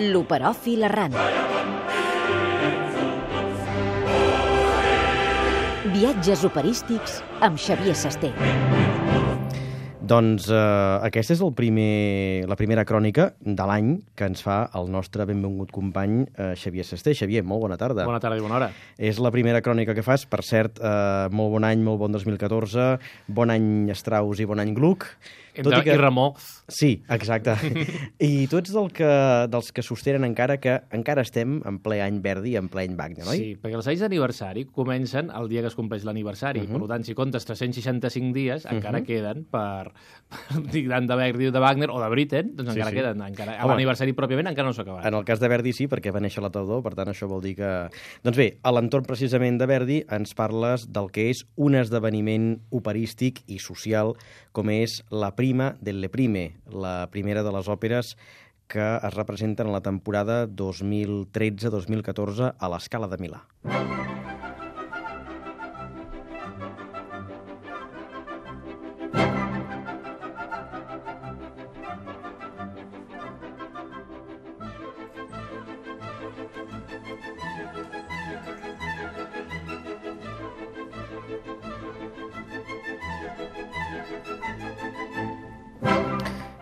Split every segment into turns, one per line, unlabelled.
L'operòfil errant. Viatges operístics amb Xavier Sasté.
Doncs aquesta és la primera crònica de l'any que ens fa el nostre benvingut company Xavier Sasté. Xavier, molt bona tarda.
Bona tarda i bona hora.
És la primera crònica que fas, per cert, molt bon any, molt bon 2014, bon any Strauss i bon any Gluck.
I Ramó.
Sí, exacte. I tu ets dels que sostenen encara que encara estem en ple any Verdi i en ple any Wagner, oi?
Sí, perquè els anys d'aniversari comencen el dia que es compleix l'aniversari. Per tant, si comptes 365 dies, encara queden per tant de Verdi o de Wagner o de Britten, doncs encara queden. L'aniversari pròpiament encara no s'ha acabat.
En el cas de Verdi sí, perquè va néixer la tardor, per tant això vol dir que... Doncs bé, a l'entorn precisament de Verdi ens parles del que és un esdeveniment operístic i social com és la Prima delle Prime, la primera de les òperes que es representen a la temporada 2013-2014 a la Scala de Milà.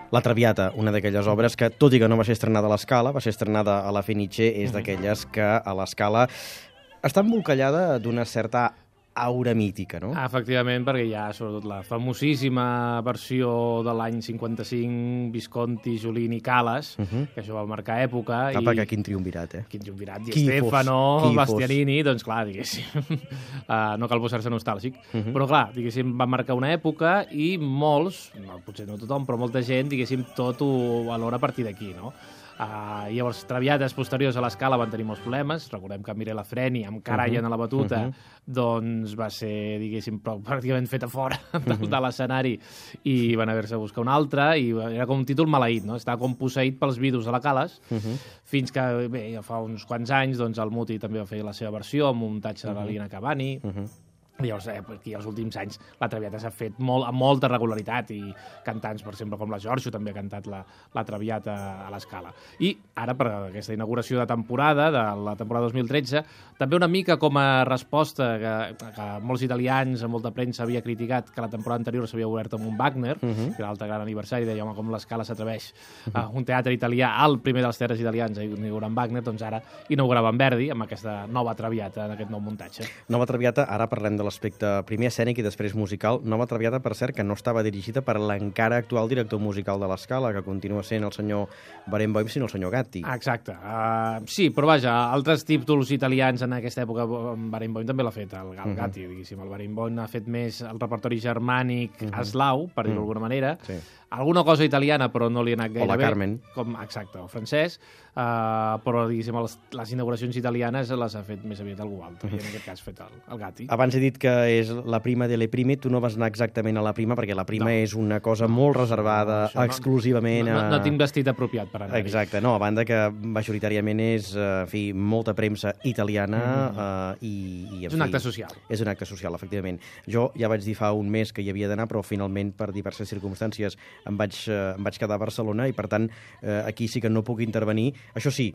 La Traviata, una d'aquelles obres que, tot i que no va ser estrenada a l'Escala, va ser estrenada a la Fenice, és d'aquelles que a l'Escala està embolcallada d'una certa aura mítica, no?
Efectivament, perquè hi ha sobretot la famosíssima versió de l'any 55, Visconti, Giulini, Calas, que això va marcar època.
Perquè quin triumvirat, eh?
Quin triumvirat, Di Stefano, Bastianini, doncs clar, diguéssim, no cal posar-se nostàlgic, però clar, diguéssim, va marcar una època i molts, potser no tothom, però molta gent, diguéssim, tot ho valora a partir d'aquí, no? Llavors, Traviates posteriors a l'Escala van tenir molts problemes. Recordem que Mirella Freni, amb Karajan a la batuta, doncs va ser, diguéssim, pràcticament feta fora de l'escenari i van haver-se de buscar una altra, i era com un títol maleït, no? Estava com posseït pels vidus de la Calas, fins que, bé, ja fa uns quants anys, doncs el Muti també va fer la seva versió amb un muntatge de la Lina Cavani. Llavors, aquí els últims anys la Traviata s'ha fet amb molta regularitat i cantants, per exemple, com la Giorgio també ha cantat la Traviata a l'Escala. I ara, per aquesta inauguració de temporada, de la temporada 2013, també una mica com a resposta que molts italians, molta premsa havia criticat que la temporada anterior s'havia obert amb un Wagner, que era l'altre gran aniversari, deia, home, com l'Escala s'atreveix a un teatre italià, el primer dels teatres italians, a inaugurar amb Wagner, doncs ara inaugurava amb Verdi, amb aquesta nova Traviata, en aquest nou muntatge.
Nova Traviata, ara parlem de l'aspecte primer escènic i després musical. Nova Traviata, per cert, que no estava dirigida per l'encara actual director musical de l'Escala, que continua sent el senyor Barenboim, sinó el senyor Gatti.
Exacte. Sí, però vaja, altres títols italians en aquesta època, Barenboim també l'ha fet, el Gatti, diguéssim. El Barenboim ha fet més el repertori germànic eslau, per dir-ho d'alguna manera.
Sí.
Alguna cosa italiana, però no li ha anat gaire bé.
O la Carmen.
Exacte, o francès. Però, diguéssim, les inauguracions italianes les ha fet més aviat algú altre, i en aquest cas ha fet el Gatti.
Abans he dit que és la Prima delle Prime, tu no vas anar exactament a la Prima, perquè la Prima és una cosa molt reservada, exclusivament a...
No tinc vestit apropiat per anar-hi.
Exacte, no, a banda que majoritàriament és, en fi, molta premsa italiana i...
És un acte social.
És un acte social, efectivament. Jo ja vaig dir fa un mes que hi havia d'anar, però finalment, per diverses circumstàncies, em vaig quedar a Barcelona i, per tant, aquí sí que no puc intervenir. Això sí,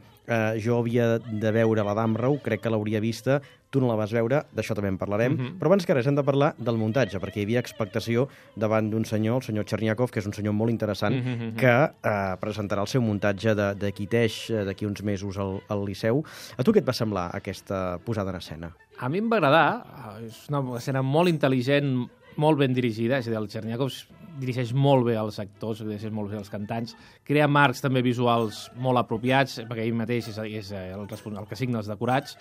jo havia de veure la Damrau, crec que l'hauria vista, tu no la vas veure, d'això també en parlarem, però abans que res hem de parlar del muntatge, perquè hi havia expectació davant d'un senyor, el senyor Cherniakov, que és un senyor molt interessant, que presentarà el seu muntatge de Quiteix d'aquí uns mesos al Liceu. A tu què et va semblar aquesta posada en escena?
A mi em va agradar, és una escena molt intel·ligent, molt ben dirigida, és a dir, el Cherniakov dirigeix molt bé els actors, dirigeix molt bé els cantants, crea marcs també visuals molt apropiats, perquè ell mateix és el que signa els decorats.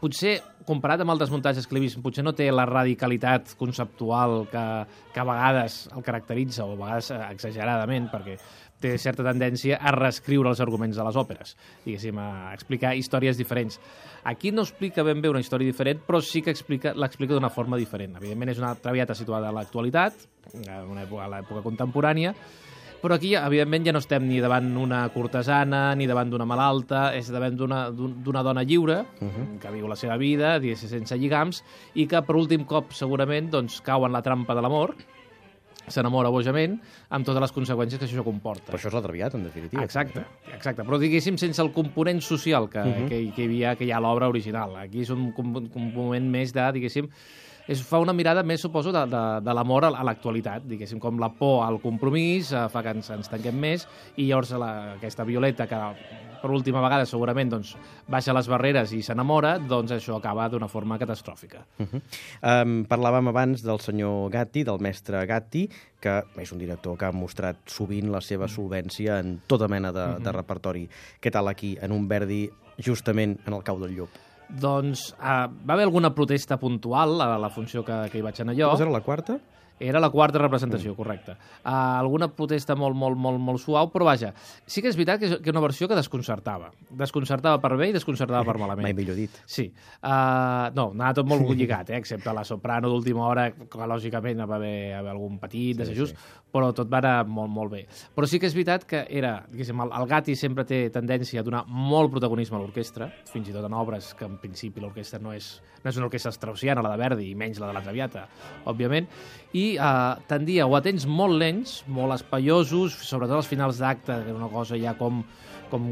Potser, comparat amb altres muntatges que l'he vist, potser no té la radicalitat conceptual que a vegades el caracteritza, o a vegades exageradament, perquè té certa tendència a reescriure els arguments de les òperes, diguéssim, a explicar històries diferents. Aquí no explica ben bé una història diferent, però sí que l'explica d'una forma diferent. Evidentment és una Traviata situada a l'actualitat, a l'època contemporània, però aquí, evidentment, ja no estem ni davant una cortesana, ni davant d'una malalta, és davant d'una dona lliure, que viu la seva vida, sense lligams, i que per últim cop, segurament, doncs, cau en la trampa de l'amor,
s'enamora bojament, amb totes les conseqüències que això comporta.
Però això és la Traviata, en definitiva.
Exacte. Però diguéssim sense el component social que hi ha a l'obra original. Aquí és un component més de, diguéssim, fa una mirada més, suposo, de l'amor a l'actualitat, diguéssim, com la por al compromís fa que ens tanquem més, i llavors aquesta Violeta, que per última vegada segurament doncs, baixa les barreres i s'enamora, doncs això acaba d'una forma catastròfica.
Parlàvem abans del senyor Gatti, del mestre Gatti, que és un director que ha mostrat sovint la seva solvència en tota mena de repertori. Què tal aquí, en un Verdi, justament en el cau del llop?
Doncs va haver alguna protesta puntual a la funció que hi vaig anar jo.
Era la quarta?
Era la quarta representació, correcte. Alguna protesta molt suau, però vaja, sí que és veritat que és una versió que desconcertava. Desconcertava per bé i desconcertava per malament.
Mai millor dit.
Sí. No, anava tot molt lligat, excepte la soprano d'última hora, que lògicament va haver algun petit desajust, però tot va anar molt bé. Però sí que és veritat que era, diguéssim, el Gatti sempre té tendència a donar molt protagonisme a l'orquestra, fins i tot en obres que en principi l'orquestra no és una orquestra straussiana, la de Verdi, i menys la de la Traviata, òbviament, i tendia o a temps molt lents, molt espaiosos, sobretot als finals d'acte, que era una cosa ja com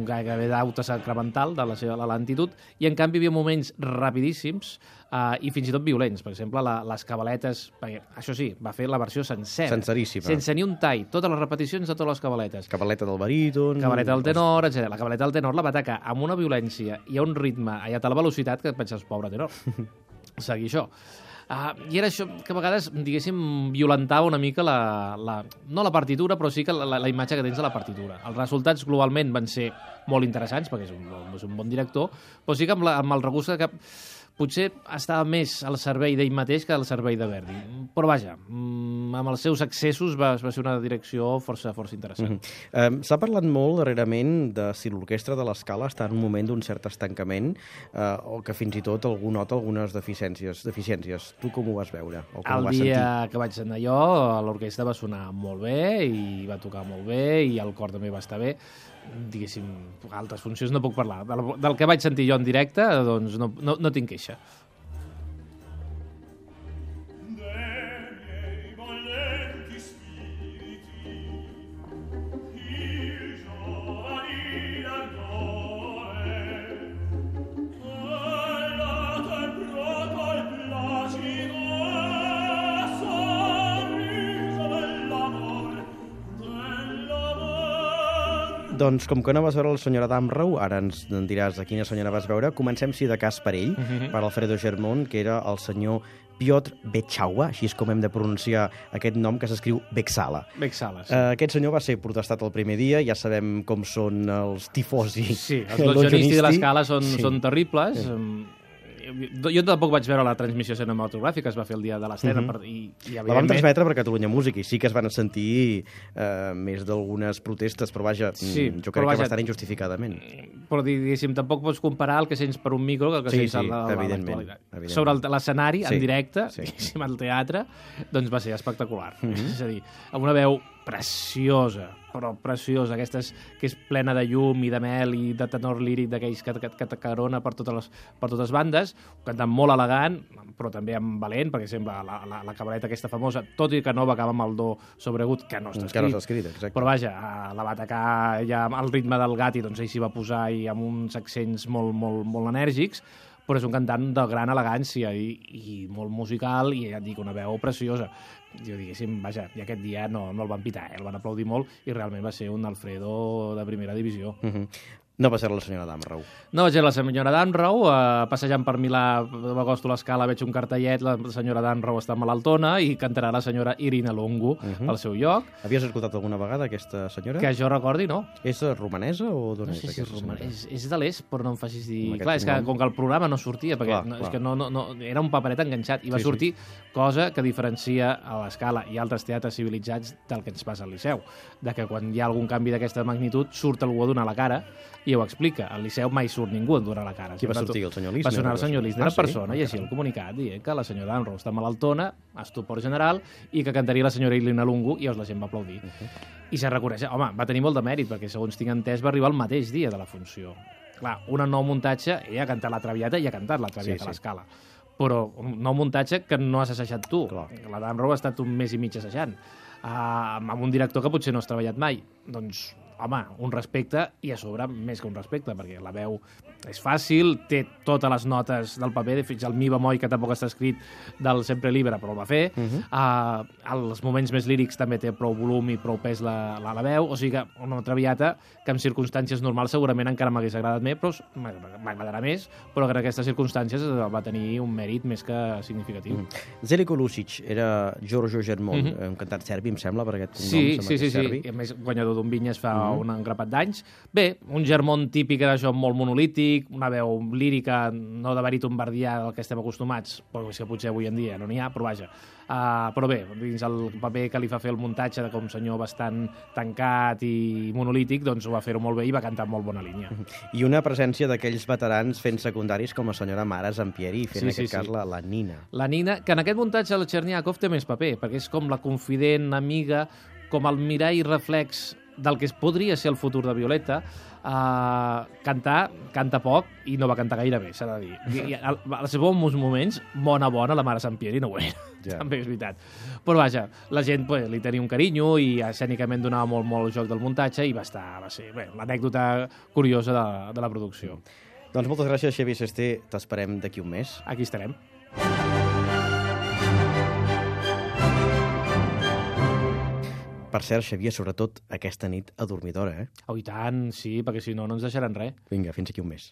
gairebé d'auta sacramental de la seva lentitud, i en canvi hi havia moments rapidíssims i fins i tot violents. Per exemple, les cabaletes, perquè això sí, va fer la versió sencera.
Senceríssima.
Sense ni un tall, totes les repeticions de totes les cabaletes.
Cabaleta del baríton...
Cabaleta del tenor, etc. La cabaleta del tenor la va atacar amb una violència i a un ritme i a tal velocitat que et penses, pobre tenor, seguir això. I era això que a vegades, diguéssim, violentava una mica no la partitura, però sí que la imatge que tens de la partitura. Els resultats globalment van ser molt interessants, perquè és un bon director, però sí que amb el regust que potser estava més al servei d'ell mateix que al servei de Verdi. Però vaja, amb els seus excessos va ser una direcció força interessant.
S'ha parlat molt darrerament de si l'orquestra de l'Escala està en un moment d'un cert estancament o que fins i tot algú nota algunes deficiències. Tu com ho vas veure?
El dia que vaig anar jo, l'orquestra va sonar molt bé i va tocar molt bé i el cor també va estar bé. Diguéssim, altres funcions no puc parlar. Del que vaig sentir jo en directe, doncs no tinc queixa.
Doncs com que no vas veure la senyora Damrau, ara ens diràs de quina senyora vas veure, comencem, si de cas, per ell, per Alfredo Germont, que era el senyor Piotr Bečaua, així és com hem de pronunciar aquest nom, que s'escriu Vexala.
Vexala, sí.
Aquest senyor va ser protestat el primer dia, ja sabem com són els tifosi.
Sí, els logionisti de l'Escala són terribles. Jo tampoc vaig veure la transmissió cinematogràfica, es va fer el dia de l'estrena.
La vam transmetre per Catalunya Música i sí que es van sentir més d'algunes protestes, però vaja, jo crec que bastant injustificadament.
Però diguéssim, tampoc pots comparar el que sents per un micro que el que sents a l'actualitat. Sobre l'escenari, en directe, al teatre, doncs va ser espectacular. És a dir, amb una veu preciosa, però preciosa, aquesta que és plena de llum i de mel i de tenor líric d'aquells que t'acarona per totes bandes, cantant molt elegant, però també amb valent, perquè sembla la cabaleta aquesta famosa, tot i que no va acabar amb el do sobregut, que no està escrit, però vaja, la va atacar ja al ritme del Gatti, doncs ell s'hi va posar i amb uns accents molt enèrgics, però és un cantant de gran elegància i molt musical i ja et dic, una veu preciosa. Jo diguéssim, vaja, i aquest dia no el van pitar, el van aplaudir molt i realment va ser un Alfredo de primera divisió.
No va ser la senyora Damrau.
No va ser la senyora Damrau, passejant per Milà, m'acosto a l'Escala, veig un cartellet, la senyora Damrau està malaltona i cantarà la senyora Irina Longo al seu lloc.
Havies escoltat alguna vegada aquesta senyora?
Que jo recordi, no.
És romanesa o d'on és aquesta senyora?
És de l'est, però no em facis dir... Clar, és que com que el programa no sortia, perquè és que no era un paperet enganxat, i va sortir cosa que diferencia a l'Escala i altres teatres civilitzats del que ens passa al Liceu, de que quan hi ha algun canvi d'aquesta magnitud surt algú a donar la cara i ho explica. Al Liceu mai surt ningú a donar la cara.
Qui va sortir? El senyor Lisner?
Va sonar el senyor Lisner en persona i així el comunicat dient que la senyora Damrau està malaltona, estupor general, i que cantaria la senyora Irina Lungu, i la gent va aplaudir. I se reconeix. Home, va tenir molt de mèrit, perquè segons tinc entès va arribar el mateix dia de la funció. Clar, un nou muntatge, ella ha cantat la Traviata i ha cantat la Traviata a l'Escala. Però un nou muntatge que no has assajat tu. La Damrau ha estat un mes i mig assajant. amb un director que potser no has treballat mai. Doncs, home, un respecte, i a sobre més que un respecte, perquè la veu és fàcil, té totes les notes del paper, fins al mi bemoll, que tampoc està escrit del Sempre Libre, però el va fer. Els moments més lírics també té prou volum i prou pes la veu, o sigui que una Traviata que en circumstàncies normals segurament encara m'hagués agradat més, però m'agradarà més, però que en aquestes circumstàncies va tenir un mèrit més que significatiu.
Zeljko Lušić era Giorgio Germont, un cantant serbi, em sembla, per aquest nom.
Sí. I a més, guanyador d'un Vinyes fa un engrapat d'anys. Bé, un Germont típic era això, molt monolític, una veu lírica, no de baríton verdià del que estem acostumats, però és que potser avui en dia no n'hi ha, però vaja. Però bé, dins el paper que li fa fer el muntatge de com senyor bastant tancat i monolític, doncs ho va fer-ho molt bé i va cantar molt bona línia.
I una presència d'aquells veterans fent secundaris com la senyora Mara Zampieri, fent en aquest cas la Nina.
La Nina, que en aquest muntatge el Cherniakov té més paper, perquè és com la confident, amiga, com el mirall reflex del que podria ser el futur de Violeta. Canta poc i no va cantar gaire bé, s'ha de dir. I als seus bons moments, bona, la Mara Zampieri no ho era. Ja. També és veritat. Però vaja, la gent li tenia un carinyo i escènicament donava molt joc del muntatge i va ser l'anècdota curiosa de la producció.
Doncs moltes gràcies, Xavier Sesté. T'esperem d'aquí un mes.
Aquí estarem.
Per cert, Xavier, sobretot aquesta nit a dormir d'hora, eh?
Oh, i tant, sí, perquè si no ens deixaran res.
Vinga, fins aquí un mes.